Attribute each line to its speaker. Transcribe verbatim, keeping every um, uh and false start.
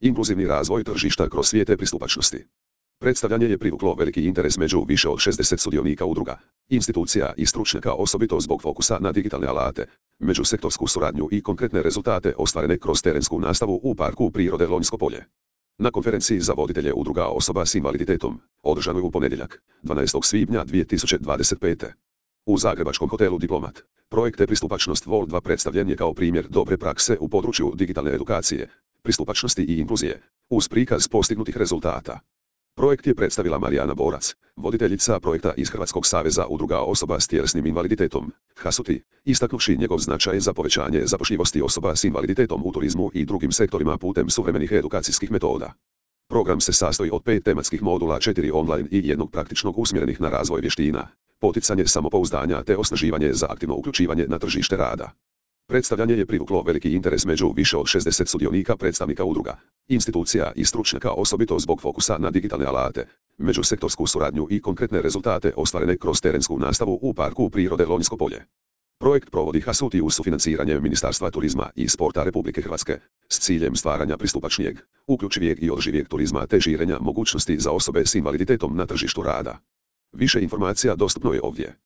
Speaker 1: Inkluzivni razvoj tržišta kroz svijete pristupačnosti. Predstavljanje je privuklo veliki interes među više od šezdeset sudionika udruga, institucija i stručnjaka, osobito zbog fokusa na digitalne alate, međusektorsku suradnju i konkretne rezultate ostvarene kroz terensku nastavu u Parku prirode Lonjsko polje. Na konferenciji za voditelje udruga osoba s invaliditetom, održanoj u ponedjeljak, dvanaestog svibnja dvije tisuće dvadeset pete. U zagrebačkom hotelu Diplomat, projekt Pristupačnost Vol dva predstavljen je kao primjer dobre prakse u području digitalne edukacije, pristupačnosti i inkluzije, uz prikaz postignutih rezultata. Projekt je predstavila Marijana Borac, voditeljica projekta iz Hrvatskog saveza udruga osoba s tjelesnim invaliditetom, Hasuti, istaknuvši njegov značaj za povećanje zapošljivosti osoba s invaliditetom u turizmu i drugim sektorima putem suvremenih edukacijskih metoda. Program se sastoji od pet tematskih modula, četiri online i jednog praktičnog usmjerenih na razvoj vještina, poticanje samopouzdanja te osnaživanje za aktivno uključivanje na tržište rada. Predstavljanje je privuklo veliki interes među više od šezdeset sudionika, predstavnika udruga, institucija i stručnjaka, osobito zbog fokusa na digitalne alate, međusektorsku suradnju i konkretne rezultate ostvarene kroz terensku nastavu u Parku prirode Lonjsko polje. Projekt provodi Hasuti uz sufinanciranje Ministarstva turizma i sporta Republike Hrvatske, s ciljem stvaranja pristupačnijeg, uključivijeg i održivijeg turizma te širenja mogućnosti za osobe s invaliditetom na tržištu rada. Više informacija dostupno je ovdje.